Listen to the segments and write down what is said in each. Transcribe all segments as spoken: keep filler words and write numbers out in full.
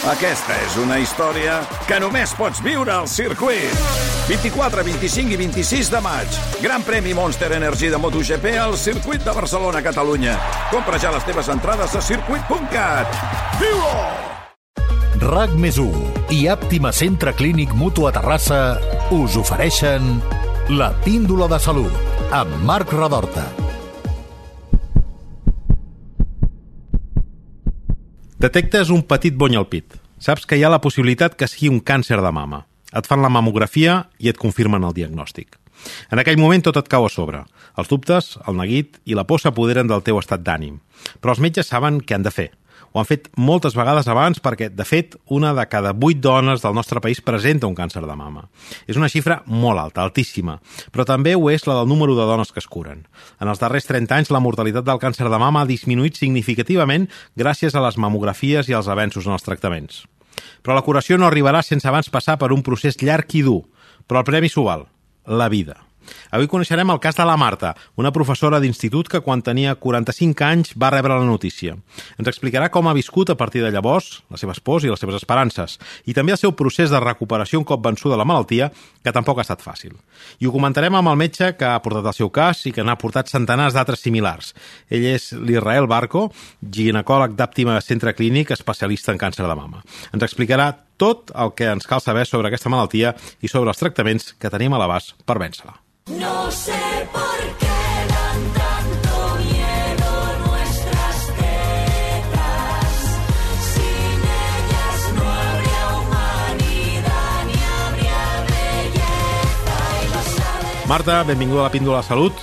Aquesta és una història que només pots viure al circuit. vint-i-quatre, vint-i-cinc i vint-i-sis de maig. Gran premi Monster Energy de MotoGP al circuit de Barcelona, Catalunya. Compra ja les teves entrades a circuit punt cat. Viu-ho! RAC més u i Àptima Centre Clínic Mutu a Terrassa us ofereixen La Píndola de Salut amb Marc Redorta. Detectes un petit bony al pit. Saps que hi ha la possibilitat que sigui un càncer de mama. Et fan la mamografia i et confirmen el diagnòstic. En aquell moment tot et cau a sobre. Els dubtes, el neguit i la por s'apoderen del teu estat d'ànim. Però els metges saben què han de fer. Ho han fet moltes vegades abans perquè, de fet, una de cada vuit dones del nostre país presenta un càncer de mama. És una xifra molt alta, altíssima, però també ho és la del número de dones que es curen. En els darrers trenta anys, la mortalitat del càncer de mama ha disminuït significativament gràcies a les mamografies i als avenços en els tractaments. Però la curació no arribarà sense abans passar per un procés llarg i dur, però el premi s'ho val, la vida. Avui coneixerem el cas de la Marta, una professora d'institut que quan tenia quaranta-cinc anys va rebre la notícia. Ens explicarà com ha viscut a partir de llavors, les seves pors i les seves esperances, i també el seu procés de recuperació un cop vençuda la malaltia, que tampoc ha estat fàcil. I ho comentarem amb el metge que ha portat el seu cas i que n'ha portat centenars d'altres similars. Ell és l'Israel Barco, ginecòleg d'Àptima Centre Clínic, especialista en càncer de mama. Ens explicarà tot el que ens cal saber sobre aquesta malaltia i sobre els tractaments que tenim a l'abast per vèncer-la. No sé por qué dan tanto miedo nuestras tetas. Sin ellas no habría humanidad ni habría belleza y lo sabes. Marta, benvinguda a la Píndola de Salut.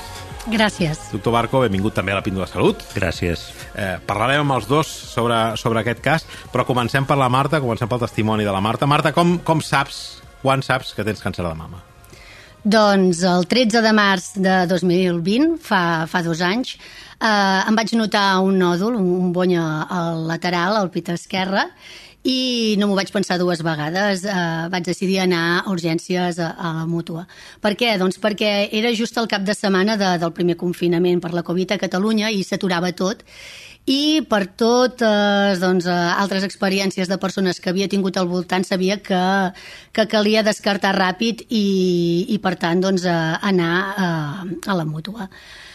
Gràcies. Doctor Barco, benvingut també a la Píndola de Salut. Gràcies. Eh, parlarem amb els dos sobre, sobre aquest cas, però comencem per la Marta, comencem pel testimoni de la Marta. Marta, com, com saps, quan saps que tens càncer de mama? Doncs el tretze de març de dos mil vint, fa, fa dos anys, eh, em vaig notar un nòdul, un bony al lateral, al pit esquerre, i no m'ho vaig pensar dues vegades. Eh, vaig decidir anar a urgències a, a la Mútua. Per què? Doncs perquè era just el cap de setmana de, del primer confinament per la Covid a Catalunya i s'aturava tot. I per totes doncs, altres experiències de persones que havia tingut al voltant sabia que, que calia descartar ràpid i, i per tant doncs, anar a, a la Mútua.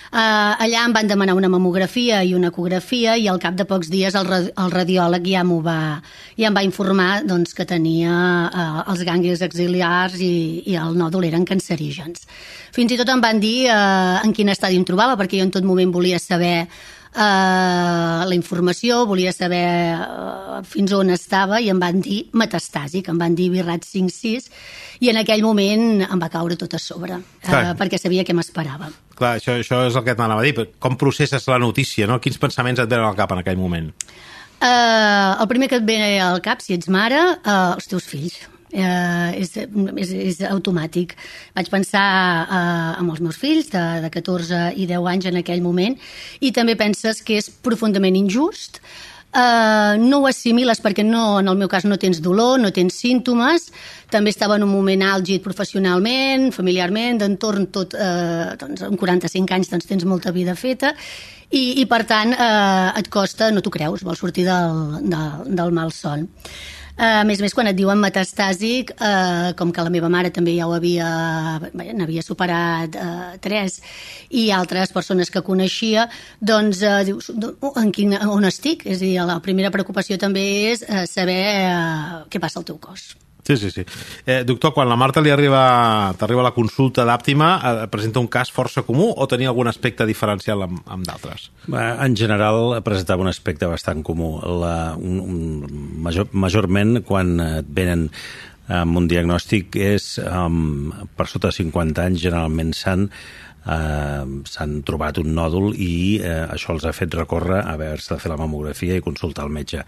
Uh, allà em van demanar una mamografia i una ecografia i al cap de pocs dies el, el radiòleg ja m'ho va, ja em va informar doncs, que tenia uh, els ganglis axil·lars i, i el nòdul eren cancerígens. Fins i tot em van dir uh, en quin estadi em trobava, perquè jo en tot moment volia saber Uh, la informació, volia saber uh, fins on estava i em van dir metastàsic, em van dir virrat cinc sis i en aquell moment em va caure tot a sobre, uh, perquè sabia què m'esperava. Clar, això, això és el que t'anava a dir. Com processes la notícia, no? Quins pensaments et venen al cap en aquell moment? Uh, el primer que et ve al cap, si ets mare, uh, els teus fills. Uh, és, és, és automàtic. Vaig pensar uh, en els meus fills de, de catorze i deu anys en aquell moment i també penses que és profundament injust. Uh, no ho assimiles perquè no, en el meu cas no tens dolor, no tens símptomes, també estava en un moment àlgid professionalment, familiarment, d'entorn tot, uh, doncs, amb quaranta-cinc anys doncs, tens molta vida feta i, i per tant uh, et costa, no t'ho creus, vols sortir del, del, del malson. Uh, a més a més, quan et diuen metastàsic, uh, com que la meva mare també ja ho havia, n'havia superat uh, tres, i altres persones que coneixia, doncs uh, dius, en quin, on estic? És a dir, la primera preocupació també és uh, saber uh, què passa al teu cos. Sí, sí, sí. Eh, doctor, quan la Marta li arriba, t'arriba la consulta d'Àptima, eh, presenta un cas força comú o tenia algun aspecte diferencial amb, amb d'altres? En general presentava un aspecte bastant comú. La, un, un, major, majorment quan et venen amb un diagnòstic és um, per sota de cinquanta anys generalment s'han Uh, s'han trobat un nòdul i uh, això els ha fet recórrer a haver-se de fer la mamografia i consultar el metge.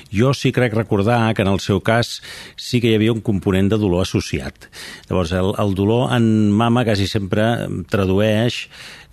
Jo sí crec recordar que en el seu cas sí que hi havia un component de dolor associat. Llavors, el, el dolor en mama quasi sempre tradueix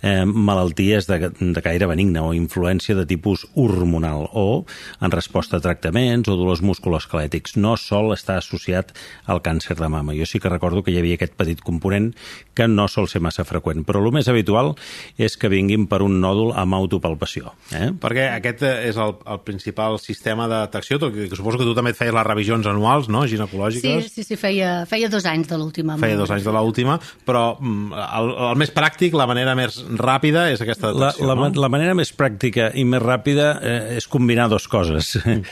eh, malalties de, de caire benigne o influència de tipus hormonal o en resposta a tractaments o dolors musculoesquelètics. No sol estar associat al càncer de mama. Jo sí que recordo que hi havia aquest petit component que no sol ser massa freqüent, però el més habitual és que vinguin per un nòdul amb autopalpació. Eh? Perquè aquest és el, el principal sistema de detecció, tot i que suposo que tu també et feies les revisions anuals, no?, ginecològiques. Sí, sí, sí, feia, feia dos anys de l'última. Feia dos anys de l'última, però el, el més pràctic, la manera més ràpida és aquesta detecció, la, la, no? La manera més pràctica i més ràpida eh, és combinar dues coses. Mm.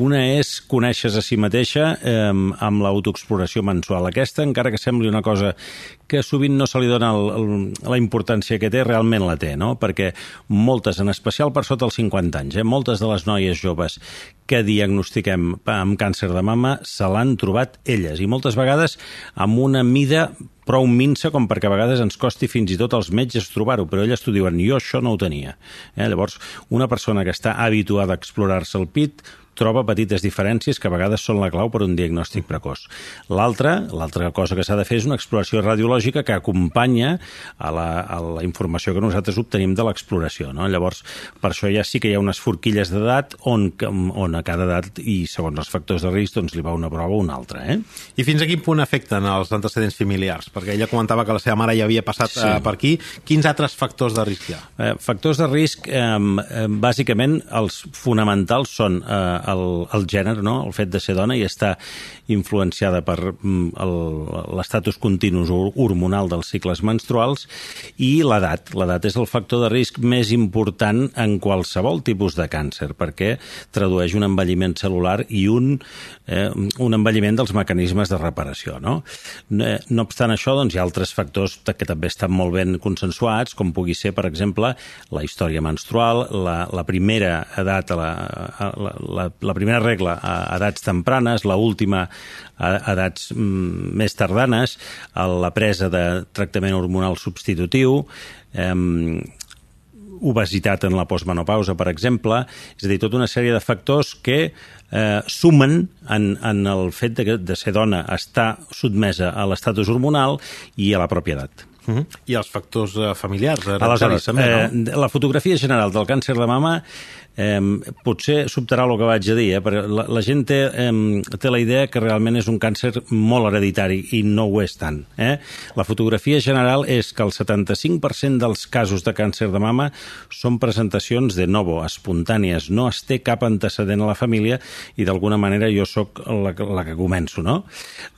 Una és conèixer a si mateixa eh, amb l'autoexploració mensual. Aquesta, encara que sembli una cosa que sovint no se li dona el, el, la importància que té, realment la té, no? Perquè moltes, en especial per sota els cinquanta anys, eh, moltes de les noies joves que diagnostiquem amb càncer de mama se l'han trobat elles, i moltes vegades amb una mida prou minsa com perquè a vegades ens costi fins i tot als metges trobar-ho, però elles t'ho diuen, jo això no ho tenia. Eh? Llavors, una persona que està habituada a explorar-se el pit troba petites diferències que a vegades són la clau per un diagnòstic precoç. L'altra, l'altra cosa que s'ha de fer és una exploració radiològica que acompanya a la, a la informació que nosaltres obtenim de l'exploració, no? Llavors, per això ja sí que hi ha unes forquilles d'edat on, on a cada edat i segons els factors de risc doncs li va una prova o una altra. Eh? I fins a quin punt afecten els antecedents familiars? Perquè ella comentava que la seva mare ja havia passat sí. eh, per aquí. Quins altres factors de risc hi ha? Eh, factors de risc, eh, eh, bàsicament, els fonamentals són eh, el, el gènere, no? El fet de ser dona i estar influenciada per l'estatus continu hormonal dels cicles menstruals i l'edat. L'edat és el factor de risc més important en qualsevol tipus de càncer perquè tradueix un envelliment celular i un, eh, un envelliment dels mecanismes de reparació. No, no, no obstant això, doncs, hi ha altres factors que també estan molt ben consensuats, com pugui ser, per exemple, la història menstrual, la, la primera edat, la, la, la, la primera regla a edats tempranes, la última a edats mm, més tardanes, a la presa de tractament hormonal substitutiu, eh, obesitat en la postmenopausa, per exemple, és a dir, tota una sèrie de factors que eh, sumen en, en el fet de, de ser dona, estar sotmesa a l'estatus hormonal i a la pròpia edat. Uh-huh. I els factors uh, familiars. Aleshores, també, no? eh, la fotografia general del càncer de mama eh, potser sobtarà el que vaig a dir, eh, perquè la, la gent té, eh, té la idea que realment és un càncer molt hereditari i no ho és tant. Eh? La fotografia general és que el setanta-cinc per cent dels casos de càncer de mama són presentacions de novo, espontànies, no es té cap antecedent a la família i d'alguna manera jo sóc la, la que començo. No?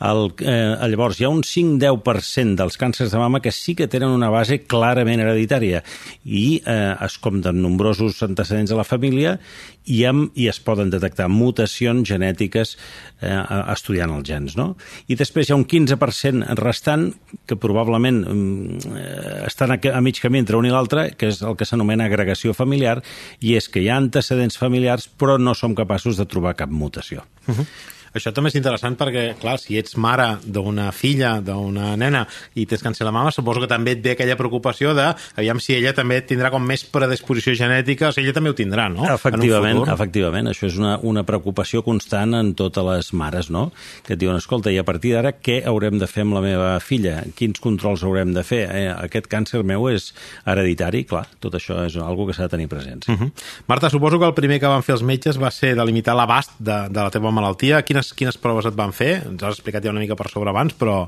El, eh, llavors, hi ha un cinc a deu per cent dels càncers de mama que sí que tenen una base clarament hereditària i eh, es compten nombrosos antecedents a la família i, amb, i es poden detectar mutacions genètiques eh, estudiant els gens. No? I després hi ha un quinze per cent restant que probablement eh, estan a, a mig camí entre un i l'altre, que és el que s'anomena agregació familiar, i és que hi ha antecedents familiars però no som capaços de trobar cap mutació. Uh-huh. Això també és interessant perquè, clar, si ets mare d'una filla, d'una nena, i tens càncer de mama, suposo que també et ve aquella preocupació de, aviam si ella també tindrà com més predisposició genètica, o sigui, ella també ho tindrà, no? Efectivament, efectivament. Això és una, una preocupació constant en totes les mares, no? Que et diuen, escolta, i a partir d'ara què haurem de fer amb la meva filla? Quins controls haurem de fer? Eh, aquest càncer meu és hereditari? Clar, tot això és una que s'ha de tenir present. Sí. Uh-huh. Marta, suposo que el primer que van fer els metges va ser delimitar l'abast de, de la teva malaltia. Quines Quines proves et van fer? Ens has explicat ja una mica per sobre abans, però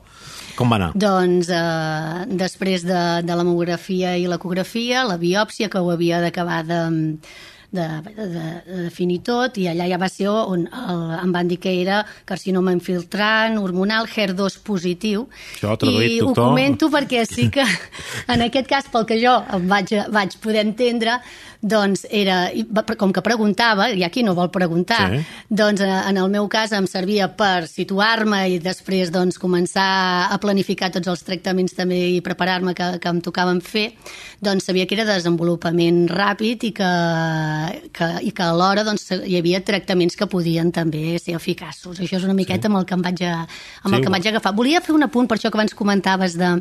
com va anar? Doncs eh, després de, de la mamografia i l'ecografia, la biòpsia, que ho havia d'acabar de, de, de, de definir tot, i allà ja va ser on el, em van dir que era carcinoma infiltrant, hormonal, H E R dos positiu. Això, traduït, I doctor. Ho comento perquè sí que, en aquest cas, pel que jo em vaig, vaig poder entendre, doncs era, com que preguntava, i aquí no vol preguntar, sí. Doncs en el meu cas em servia per situar-me i després doncs començar a planificar tots els tractaments també i preparar-me que, que em tocaven fer, doncs sabia que era desenvolupament ràpid i que, que, i que alhora doncs, hi havia tractaments que podien també ser eficaços. Això és una miqueta sí. amb el que em vaig, a, amb sí, el que em vaig agafar. Volia fer un apunt, per això que abans comentaves de,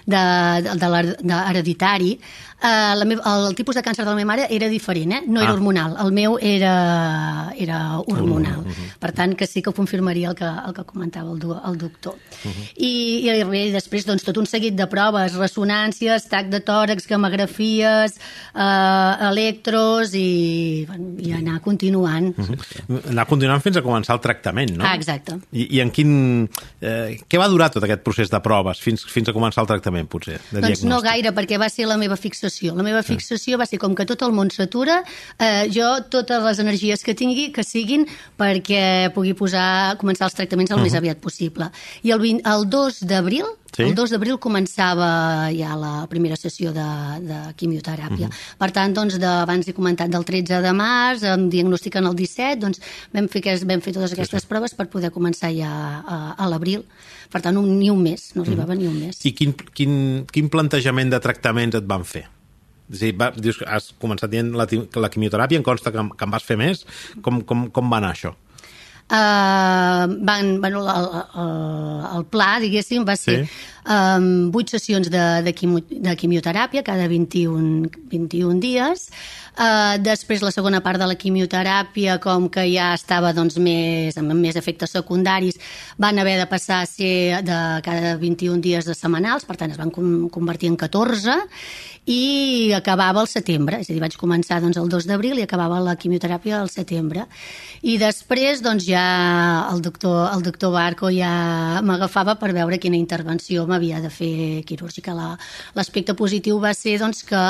de, de, de l'hereditari. Uh, la meva, el, el tipus de càncer de la meva mare era diferent, eh? no era Ah. hormonal. El meu era, era hormonal. Per tant, que sí que ho confirmaria el que, el que comentava el, du- el doctor. I, i res, després doncs, tot un seguit de proves, ressonàncies, tac de tòrax, gamografies, eh, electros i, bueno, i anar continuant. Anar continuant fins a començar el tractament, no? Ah, exacte. I, i en quin... Eh, què va durar tot aquest procés de proves fins, fins a començar el tractament, potser? De Doncs no diagnòstic? gaire, perquè va ser la meva fixació. La meva fixació va ser com que tot el món s'atura, eh, jo totes les energies que tingui que siguin perquè pugui posar, començar els tractaments el més aviat possible. I el, vint, el dos d'abril, Sí? el dos d'abril començava ja la primera sessió de, de quimioteràpia. Per tant, doncs, de, abans he comentat del tretze de març, em diagnostiquen el disset, doncs vam fer, aquest, vam fer totes aquestes proves per poder començar ja a, a l'abril. Per tant, un, ni un mes, no arribava ni un mes. I quin, quin, quin plantejament de tractaments et van fer? És a dir, va, dius, que has començat dient la, ti- la quimioteràpia, em consta que, que en vas fer més. Com, com, com va anar això? Uh, van, bueno, el, el, el pla, diguéssim, va ser Sí. um, vuit sessions de, de, quimio, de quimioteràpia cada vint-i-un, vint-i-un dies. Uh, després, la segona part de la quimioteràpia, com que ja estava doncs, més, amb més efectes secundaris, van haver de passar a ser de cada vint-i-un dies de setmanals, per tant es van com, convertir en catorze, i acabava al setembre, és a dir, vaig començar doncs, el dos d'abril i acabava la quimioteràpia al setembre. I després doncs, ja el doctor, el doctor Barco ja m'agafava per veure quina intervenció m'havia de fer quirúrgica. La- L'aspecte positiu va ser doncs, que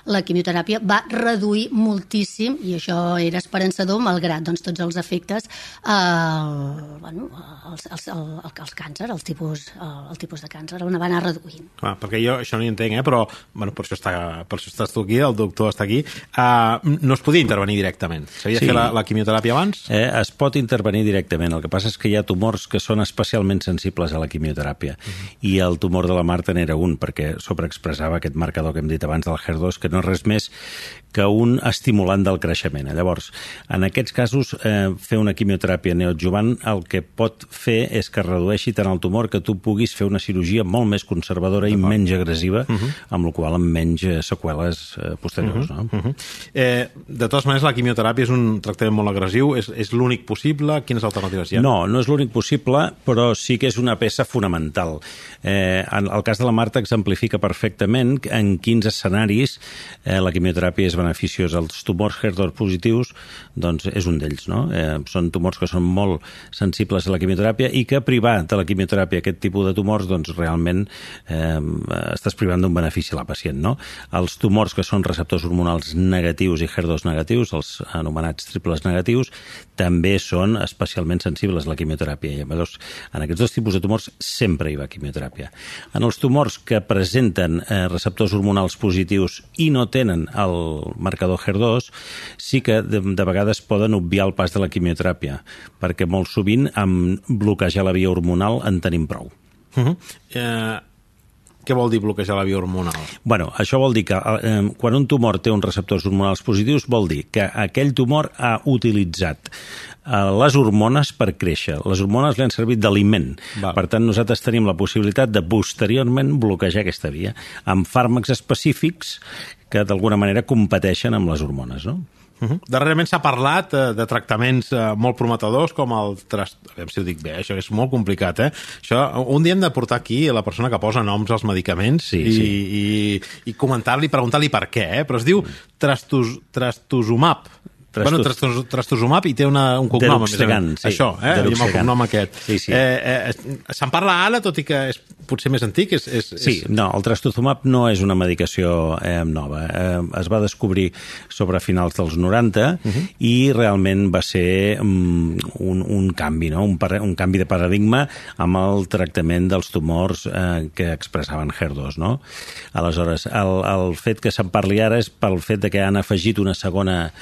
la quimioteràpia va reduir moltíssim, i això era esperançador, malgrat doncs, tots els efectes, eh, bueno, els, els, el, els càncer, el tipus, el, el tipus de càncer, on va anar reduint. Clar, perquè jo això no hi entenc, eh? Però bueno, per, això està, per això estàs tu aquí, el doctor està aquí. Uh, no es podia intervenir directament. S'havia Sí. de fer la, la quimioteràpia abans? Eh, es pot intervenir directament. El que passa és que hi ha tumors que són especialment sensibles a la quimioteràpia. Uh-huh. I el tumor de la Marta n'era un, perquè sobreexpressava aquest marcador que hem dit abans del H E R dos, que no és res més que un estimulant del creixement. Llavors, en aquests casos, eh, fer una quimioteràpia neoadjuvant el que pot fer és que redueixi tant el tumor que tu puguis fer una cirurgia molt més conservadora i menys agressiva, uh-huh. amb la qual cosa amb menys eh, seqüeles eh, posteriors. Uh-huh. No? Uh-huh. Eh, de totes maneres, la quimioteràpia és un tractament molt agressiu. És, és l'únic possible? Quines alternatives hi ha? No, no és l'únic possible, però sí que és una peça fonamental. Eh, en el cas de la Marta exemplifica perfectament en quins escenaris eh, la quimioteràpia és beneficiosa. Els tumors H E R dos positius doncs, és un d'ells. No? Eh, són tumors que són molt sensibles a la quimioteràpia i que privar de la quimioteràpia aquest tipus de tumors doncs, realment eh, estàs privant d'un benefici a la pacient. No? Els tumors que són receptors hormonals negatius i H E R dos negatius, els anomenats triples negatius, també són especialment sensibles a la quimioteràpia. I llavors, en aquests dos tipus de tumors sempre hi va quimioteràpia. En els tumors que presenten eh, receptors hormonals positius i no tenen el marcador H E R dos, sí que de, de vegades poden obviar el pas de la quimioteràpia, perquè molt sovint amb bloquejar la via hormonal en tenim prou. Uh-huh. Eh, què vol dir bloquejar la via hormonal? Bueno, això vol dir que eh, quan un tumor té uns receptors hormonals positius vol dir que aquell tumor ha utilitzat eh, les hormones per créixer. Les hormones li han servit d'aliment. Val. Per tant, nosaltres tenim la possibilitat de posteriorment bloquejar aquesta via amb fàrmacs específics que d'alguna manera competeixen amb les hormones, no? Uh-huh. Darrerament s'ha parlat eh, de tractaments eh, molt prometedors com el... Tras... A veure si ho dic bé, això és molt complicat, eh? Això, un dia hem de portar aquí la persona que posa noms als medicaments Sí, i, sí. i, i comentar-li, preguntar-li per què, eh? Però es diu trastos, trastuzumab. Trastos- Bueno, trastos, trastuzumab i té una, un cognom. a més a més. Deruxtecan, sí. Això, eh? I amb el Deruxtecan. cognom aquest. Sí, sí. Eh, eh, se'n parla ara, tot i que és potser més antic. És, és, Sí, és... no, el trastuzumab no és una medicació eh, nova. Eh, es va descobrir sobre finals dels noranta uh-huh. i realment va ser um, un, un canvi, no? un, par un canvi de paradigma amb el tractament dels tumors eh, que expressaven H E R dos. No? Aleshores, el, el fet que se'n parli ara és pel fet de que han afegit una segona,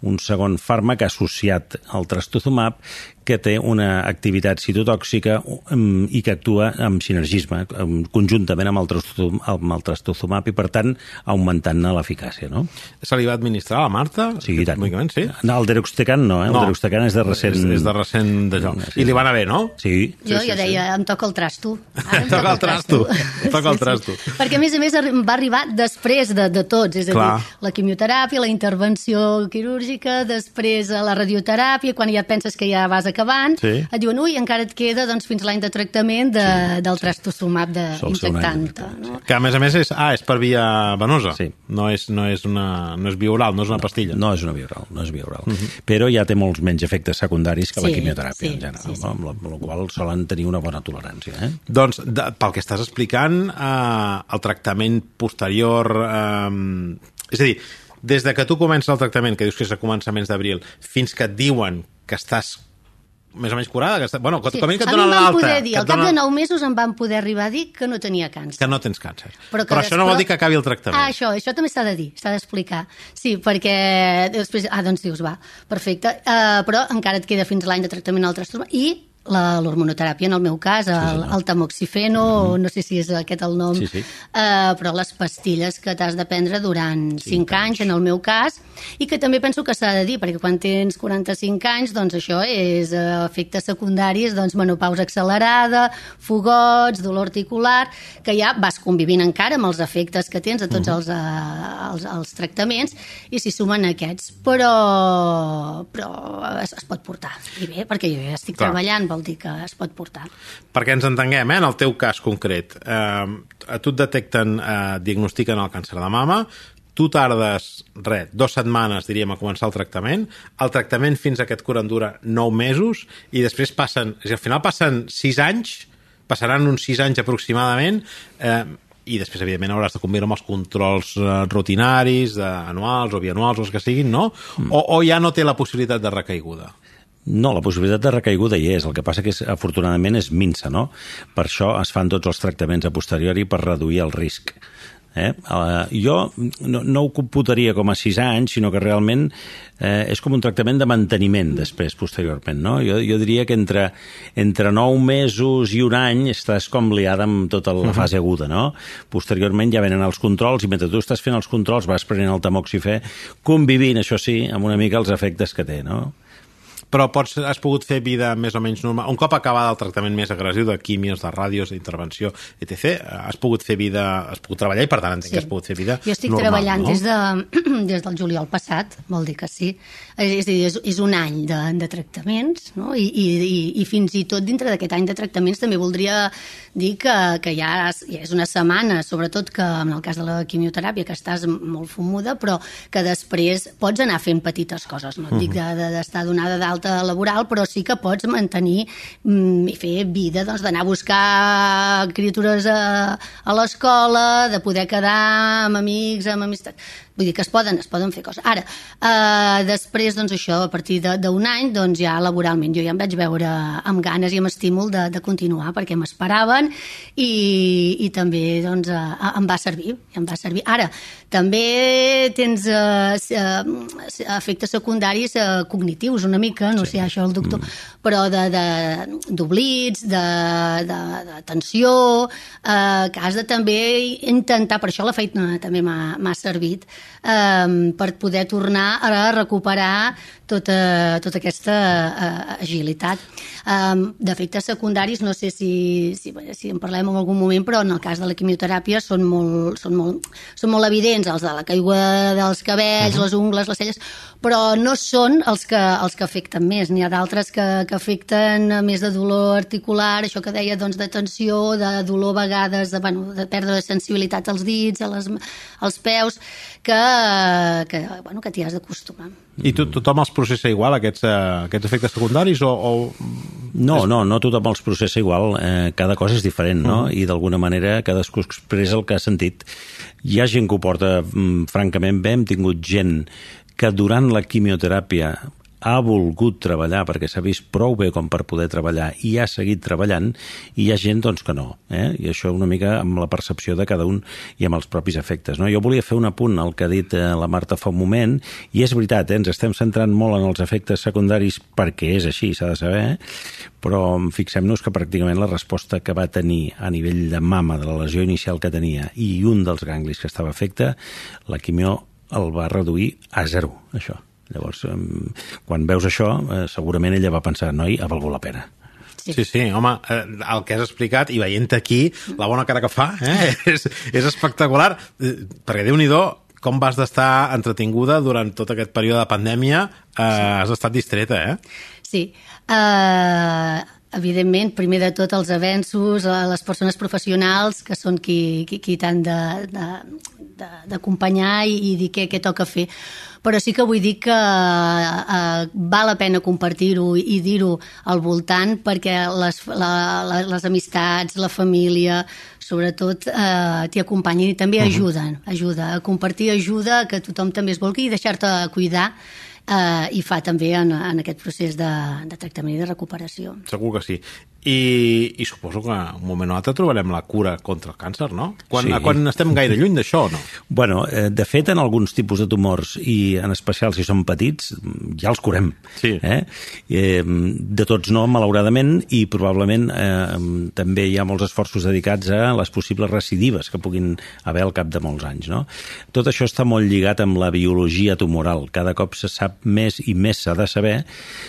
un segon fàrmac associat al trastuzumab que té una activitat citotòxica um, i que actua amb sinergisme, um, conjuntament amb el, trastuzum, amb el trastuzumab, i per tant augmentant-ne l'eficàcia, no? Se li va administrar a la Marta? Sí, i tant. Sí? No, el deruxtecan no, eh? No. El deruxtecan és de recent... És, és de recent d'allò. Sí, I li va anar bé, no? Sí. Jo ja deia, em toca el trasto. Ara em Toca el trasto. Toca el trasto. Sí, sí. Perquè, a més a més, arri- va arribar després de, de tots. És a Clar. dir, la quimioteràpia, la intervenció quirúrgica, després la radioteràpia, quan ja penses que ja vas acabant, Sí. et diuen, ui, encara et queda doncs, fins l'any de tractament de, sí. del trastuzumab de Sol ser un any de injectant. No? Que, a més a més, és, ah, és per via venosa. Sí. No és, no és, una, no és via oral, no és una pastilla. No és una via oral, no és via oral. Uh -huh. Però ja té molts menys efectes secundaris que la Sí, quimioteràpia, sí, en general, sí, sí. no? Amb, la, amb la qual solen tenir una bona tolerància. Eh? Doncs, de, pel que estàs explicant, eh, el tractament posterior... Eh, és a dir, des de que tu comences el tractament, que dius que és a començaments d'abril, fins que et diuen que estàs més o menys curada, que està, bueno, que, Sí. com a mínim que et A mi donen em van l'alta. poder dir, que al et cap de donen- nou mesos em van poder arribar a dir que no tenia càncer. que no tens càncer. Però, Però, que això no vol després- dir que acabi el tractament. Ah, això, això també s'ha de dir, s'ha d'explicar. Sí, perquè després... Ah, doncs dius, va, perfecte. Uh, però encara et queda fins l'any de tractament al trastorn i la- l'hormonoteràpia, en el meu cas, el, el tamoxifeno, mm-hmm. no sé si és aquest el nom, Sí, sí. Uh, però les pastilles que t'has de prendre durant cinc anys, en el meu cas, i que també penso que s'ha de dir, perquè quan tens quaranta-cinc anys, doncs això és uh, efectes secundaris, doncs menopausa accelerada, fogots, dolor articular, que ja vas convivint encara amb els efectes que tens de tots els, uh, els, els tractaments, i s'hi sumen aquests, però, però es, es pot portar. I bé, perquè jo ja estic Clar. treballant, vol dir que es pot portar. Perquè ens entenguem, eh, en el teu cas concret, eh, a tu et detecten, eh, diagnostiquen el càncer de mama, tu tardes, res, dues setmanes, diríem, a començar el tractament, el tractament fins a que et curen dura nou mesos, i després passen, és a dir, al final passen sis anys, passaran uns sis anys aproximadament, eh, i després, evidentment, hauràs de complir amb els controls eh, rutinaris, de, anuals o bianuals, o els que siguin, no? Mm. O, o ja no té la possibilitat de recaiguda? No, la possibilitat de recaiguda hi és. El que passa que, és, afortunadament, és minsa, no? Per això es fan tots els tractaments a posteriori per reduir el risc. Eh? Uh, jo no, no ho computaria com a sis anys, sinó que realment eh, és com un tractament de manteniment després, posteriorment. No? Jo, jo diria que entre, entre nou mesos i un any estàs com liada amb tota la fase aguda. No? Posteriorment ja venen els controls i mentre tu estàs fent els controls vas prenent el tamoxifè, convivint, això sí, amb una mica els efectes que té. No? Però pots, has pogut fer vida més o menys normal. Un cop acabat el tractament més agressiu de quimios, de ràdios, d'intervenció, etcètera, has pogut fer vida, has pogut treballar i per tant entenc sí. que has pogut fer vida Jo estic normal, treballant no? des, de, des del juliol passat, vol dir que sí. És a dir, és, és un any de, de tractaments, no? I, i, i, i fins i tot dintre d'aquest any de tractaments també voldria dir que, que ja, és, ja és una setmana, sobretot que en el cas de la quimioteràpia, que estàs molt fumuda, però que després pots anar fent petites coses, no et dic de, de, d'estar donada d'alta laboral, però sí que pots mantenir mm, i fer vida, doncs, d'anar a buscar criatures a, a l'escola, de poder quedar amb amics, amb amistats. Vull dir que es poden, es poden fer coses. Ara, eh, després, doncs això, a partir d'un any, doncs ja laboralment, jo ja em vaig veure amb ganes i amb estímul de, de continuar, perquè m'esperaven i, i també, doncs, eh, em va servir, em va servir. Ara, també tens eh, eh, efectes secundaris eh, cognitius, una mica, no sí. sé, això el doctor, mm. però d'oblits, de, de, de, de, de tensió, eh, que has de també intentar, per això la feina també m'ha servit, Um, per poder tornar a recuperar tota, tota aquesta uh, agilitat. Um, D'efectes secundaris, no sé si, si, si en parlem en algun moment, però en el cas de la quimioteràpia són molt, són molt, són molt evidents, els de la caiguda dels cabells, uh -huh. les ungles, les celles, però no són els que, els que afecten més. N'hi ha d'altres que, que afecten més de dolor articular, això que deia, doncs, de tensió, de dolor a vegades, de, bueno, de perdre de sensibilitat als dits, a les, als peus, que, que, bueno, que t'hi has d'acostumar. I tu, tothom els processa igual, aquests, uh, aquests efectes secundaris, o... o... No, no, no tothom els processa igual. Eh, cada cosa és diferent, no? Uh -huh. I d'alguna manera cadascú expressa el que ha sentit. Hi ha gent que ho porta mm, francament bé. Hem tingut gent que durant la quimioteràpia ha volgut treballar perquè s'ha vist prou bé com per poder treballar i ha seguit treballant, i hi ha gent doncs, que no. Eh? I això una mica amb la percepció de cada un i amb els propis efectes. No? Jo volia fer un apunt al que ha dit eh, la Marta fa un moment, i és veritat, eh? Ens estem centrant molt en els efectes secundaris perquè és així, s'ha de saber, eh? Però fixem-nos que pràcticament la resposta que va tenir a nivell de mama de la lesió inicial que tenia i un dels ganglis que estava afecte, la quimio el va reduir a zero, això. Llavors, quan veus això, segurament ella va pensar, noi, ha valgut la pena. Sí, sí, sí, home, el que has explicat, i veient aquí la bona cara que fa, eh, és, és espectacular, perquè Déu-n'hi-do, com vas d'estar entretinguda durant tot aquest període de pandèmia, eh, sí. Has estat distreta, eh? Sí, uh, evidentment, primer de tot els avenços, les persones professionals, que són qui, qui, qui t'han d'acompanyar i, i dir què, què toca fer. Però sí que vull dir que eh, val la pena compartir-ho i dir-ho al voltant, perquè les, la, la, les amistats, la família, sobretot eh, t'hi acompanyen i també ajuden. Ajuda a compartir, ajuda a que tothom també es vulgui i deixar-te cuidar, eh, i fa també en, en aquest procés de, de tractament i de recuperació. Segur que sí. I, i suposo que un moment o altre trobarem la cura contra el càncer, no? Quan, sí. Quan estem gaire lluny d'això, no? Bueno, eh, de fet, en alguns tipus de tumors, i en especial si són petits, ja els curem. Sí. Eh? Eh, de tots no, malauradament, i probablement eh, també hi ha molts esforços dedicats a les possibles recidives que puguin haver al cap de molts anys, no? Tot això està molt lligat amb la biologia tumoral. Cada cop se sap més i més s'ha de saber,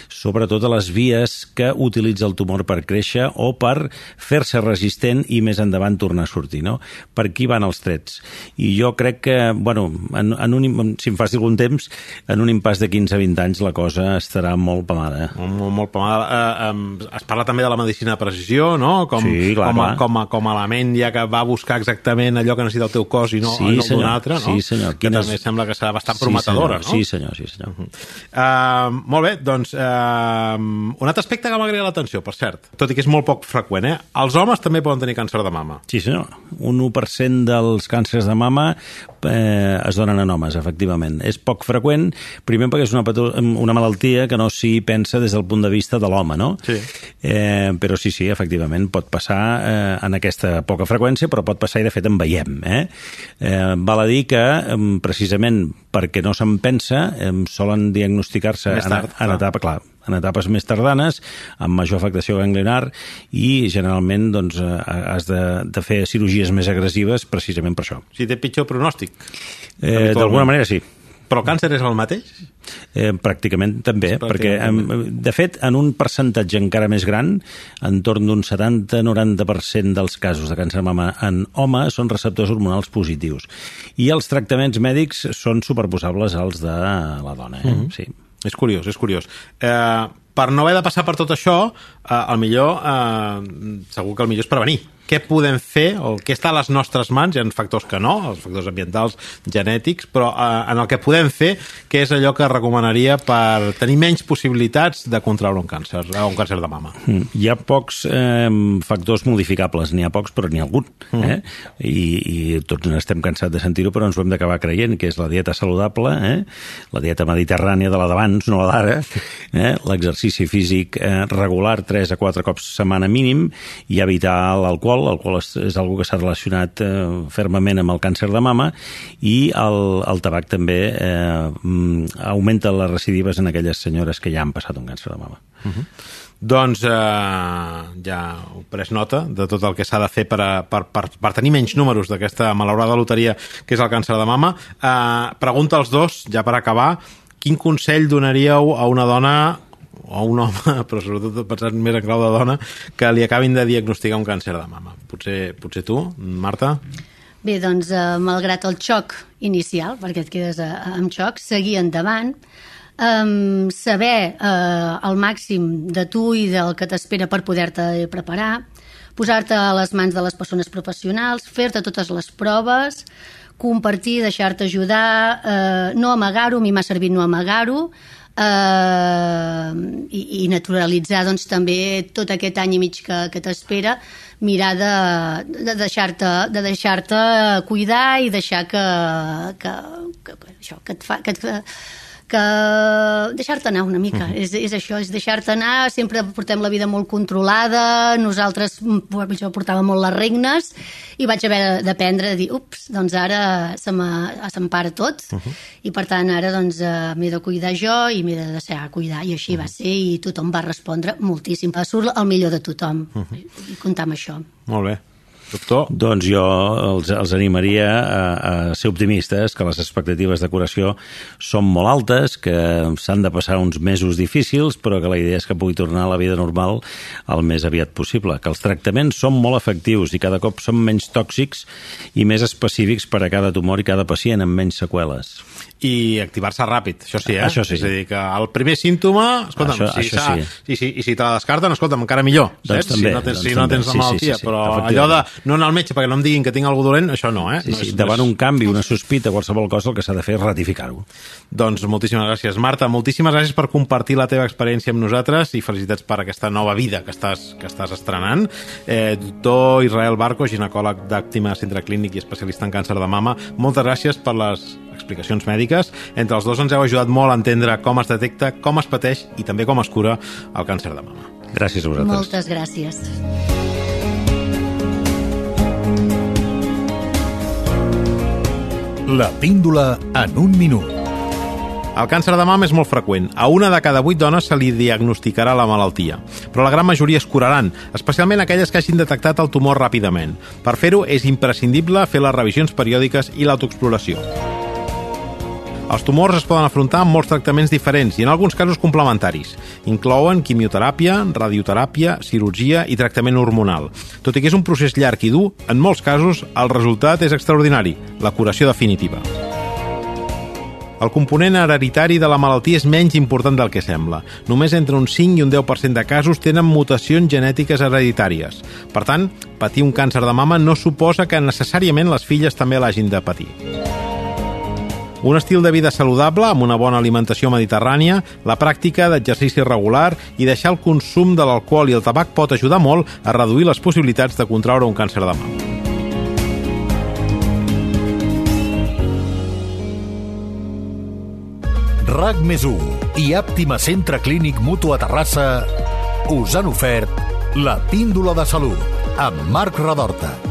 sobretot a les vies que utilitza el tumor per créixer o per fer-se resistent i més endavant tornar a sortir, no? Per aquí van els trets. I jo crec que, bueno, en, en un, si em fas algun temps, en un impàs de quinze a vint anys la cosa estarà molt pamada. Molt, molt pamada. Eh, eh, es parla també de la medicina de precisió, no? Com, sí, clar, com, a, clar. Com, a, com a element ja que va buscar exactament allò que necessita el teu cos i no, sí, no d'un altre, no? Sí, senyor. Que Quines... també sembla que serà bastant sí, prometedora, senyor. no? Sí, senyor, sí, senyor. Uh-huh. Uh, molt bé, doncs uh, un altre aspecte que m'agrada l'atenció, per cert, tot i que és molt poc freqüent, eh? Els homes també poden tenir càncer de mama. Sí, senyor. Un u per cent dels càncers de mama eh, es donen en homes, efectivament. És poc freqüent, primer perquè és una, una malaltia que no s'hi pensa des del punt de vista de l'home, no? Sí. Eh, però sí, sí, efectivament, pot passar eh, en aquesta poca freqüència, però pot passar i de fet en veiem. Eh? Eh, val a dir que, eh, precisament perquè no se'n pensa, eh, solen diagnosticar-se en, en etapa, clar, en etapes més tardanes, amb major afectació ganglionar, i generalment doncs, has de, de fer cirurgies més agressives precisament per això. Si té pitjor pronòstic? Eh, D'alguna manera sí. Però el càncer és el mateix? Eh, pràcticament també, pràcticament perquè també. De fet, en un percentatge encara més gran, entorn d'un setanta a noranta per cent dels casos de càncer de mama en home són receptors hormonals positius. I els tractaments mèdics són superposables als de la dona. Eh? Mm-hmm. Sí. És curiós, és curiós. Eh, per no haver de passar per tot això, eh, el millor, eh, segur que el millor és prevenir. Què podem fer, o què està a les nostres mans? Hi ha factors que no, els factors ambientals, genètics, però eh, en el que podem fer, què és allò que recomanaria per tenir menys possibilitats de contraure un càncer, un càncer de mama? Mm. Hi ha pocs eh, factors modificables, n'hi ha pocs, però n'hi ha algun. Mm. Eh? I, I tots n'estem cansats de sentir-ho, però ens ho hem d'acabar creient, que és la dieta saludable, eh? La dieta mediterrània de la d'abans, no la d'ara, eh? L'exercici físic eh, regular, tres a quatre cops setmana mínim, i evitar l'alcohol. L'alcohol és, és una que s'ha relacionat eh, fermament amb el càncer de mama, i el, el tabac també eh, augmenta les recidives en aquelles senyores que ja han passat un càncer de mama. Uh-huh. Doncs eh, ja heu pres nota de tot el que s'ha de fer per, a, per, per, per tenir menys números d'aquesta malaurada loteria que és el càncer de mama. Eh, pregunta als dos, ja per acabar, quin consell donaríeu a una dona o un home, però sobretot pensant més en clau de dona, que li acabin de diagnosticar un càncer de mama? Potser, potser tu, Marta? Bé, doncs, eh, malgrat el xoc inicial, perquè et quedes eh, amb xoc, seguir endavant, eh, saber eh, el màxim de tu i del que t'espera per poder-te preparar, posar-te a les mans de les persones professionals, fer-te totes les proves, compartir, deixar-te ajudar, eh, no amagar-ho, a mi m'ha servit no amagar-ho, Uh, i, i naturalitzar doncs, també tot aquest any i mig que, que t'espera, mirar de, de deixar-te de deixar-te cuidar i deixar que, que, que, això, que, et fa, que, et, que deixar-te anar una mica, és, és això, és deixar-te anar, sempre portem la vida molt controlada, nosaltres, jo portava molt les regnes, i vaig haver d'aprendre a dir, ups, doncs ara se m'empara tot, uh -huh. i per tant ara doncs eh, m'he de cuidar jo i m'he de deixar cuidar, i així uh -huh. va ser, i tothom va respondre moltíssim, surt el millor de tothom, uh -huh. i comptar amb això. Molt bé. Doctor? Doncs jo els, els animaria a, a ser optimistes, que les expectatives de curació són molt altes, que s'han de passar uns mesos difícils, però que la idea és que pugui tornar a la vida normal el més aviat possible, que els tractaments són molt efectius i cada cop són menys tòxics i més específics per a cada tumor i cada pacient amb menys seqüeles. I activar-se ràpid, això sí, eh? Això sí. És a dir, que el primer símptoma, escolta'm, això, si, això sí. i, si, i si te la descarten, escolta'm, encara millor, doncs saps? També, si no tens, doncs si no tens la sí, malaltia, sí, sí, sí, però allò de no anar al metge perquè no em diguin que tinc alguna dolent, això no, eh? Sí, no sí, és, davant no és... un canvi, una sospita, qualsevol cosa, el que s'ha de fer és ratificar-ho. Doncs moltíssimes gràcies. Marta, moltíssimes gràcies per compartir la teva experiència amb nosaltres i felicitats per aquesta nova vida que estàs, que estàs estrenant. Eh, doctor Israel Barco, ginecòleg d'Àptima Centre Clínic i especialista en càncer de mama, moltes gràcies per les explicacions mèdiques. Entre els dos ens heu ajudat molt a entendre com es detecta, com es pateix i també com es cura el càncer de mama. Gràcies a vosaltres. Moltes gràcies. La píndola en un minut. El càncer de mama és molt freqüent. A una de cada vuit dones se li diagnosticarà la malaltia, però la gran majoria es curaran, especialment aquelles que hagin detectat el tumor ràpidament. Per fer-ho és imprescindible fer les revisions periòdiques i l'autoexploració. Els tumors es poden afrontar amb molts tractaments diferents i en alguns casos complementaris. Inclouen quimioteràpia, radioteràpia, cirurgia i tractament hormonal. Tot i que és un procés llarg i dur, en molts casos el resultat és extraordinari, la curació definitiva. El component hereditari de la malaltia és menys important del que sembla. Només entre un cinc i un deu per cent de casos tenen mutacions genètiques hereditàries. Per tant, patir un càncer de mama no suposa que necessàriament les filles també l'hagin de patir. Un estil de vida saludable, amb una bona alimentació mediterrània, la pràctica d'exercici regular i deixar el consum de l'alcohol i el tabac pot ajudar molt a reduir les possibilitats de contraure un càncer de mama. RAC més u i Àptima Centre Clínic Mutu a Terrassa us han ofert la píndola de salut amb Marc Radorta.